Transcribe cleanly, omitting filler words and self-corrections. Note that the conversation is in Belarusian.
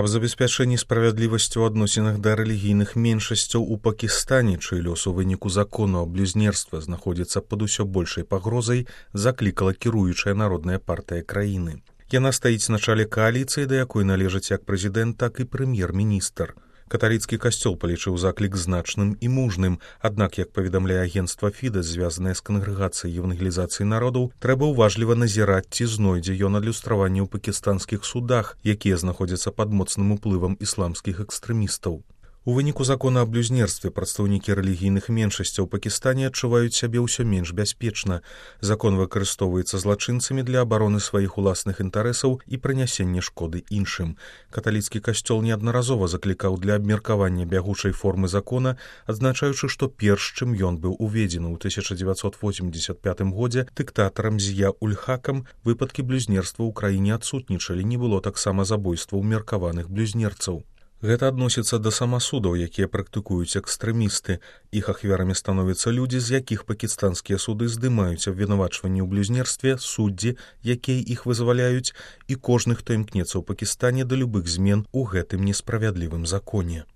Аб забеспячэнні справядлівасці ў адносінах да рэлігійных меншасцяў у Пакістане, чый лёс у выніку закону аб блюзнерстве знаходзіцца пад усё большай пагрозай, заклікала кіруючая народная партыя краіны. Яна стаіць на чале кааліцыі, да якой належаць як прэзідэнт, так і прэм'ер-міністр. Каталіцкі касцёл палічыў заклік значным і мужным, аднак, як паведамляе агенцтва Фідэс, звязанае з кангрэгацыяй евангелізацыі народаў, трэба ўважліва назіраць, ці знойдзе ён адлюстраванне ў пакістанскіх судах, якія знаходзяцца пад моцным уплывам ісламскіх экстрэмістаў. У выніку закона аб блюзнерстве прадстаўнікі рэлігійных меншасцяў у Пакістане адчуваюць сябе ўсё менш бяспечна. Закон выкарыстоўваецца злачынцамі для абароны сваіх уласных інтарэсаў і прынясення шкоды іншым. Каталіцкі касцёл неаднаразова заклікаў для абмеркавання бягучай формы закона, адзначаючы, што перш чым ён быў уведзены ў 1985 годзе дыктатарам З'я-уль-Хакам, выпадкі блюзнерства ў краіне адсутнічалі, не было таксама забойстваў меркаваных блюзнерцаў. Гэта адносіцца да самасудаў, якія практыкуюць экстрэмісты. Іх ахвярамі становяцца людзі, з якіх пакістанскія суды здымаюць абвінавачванні ў блюзнерстве, суддзі, якія іх вызваляюць, і кожны, хто імкнецца ў Пакістане да любых змен у гэтым несправядлівым законе.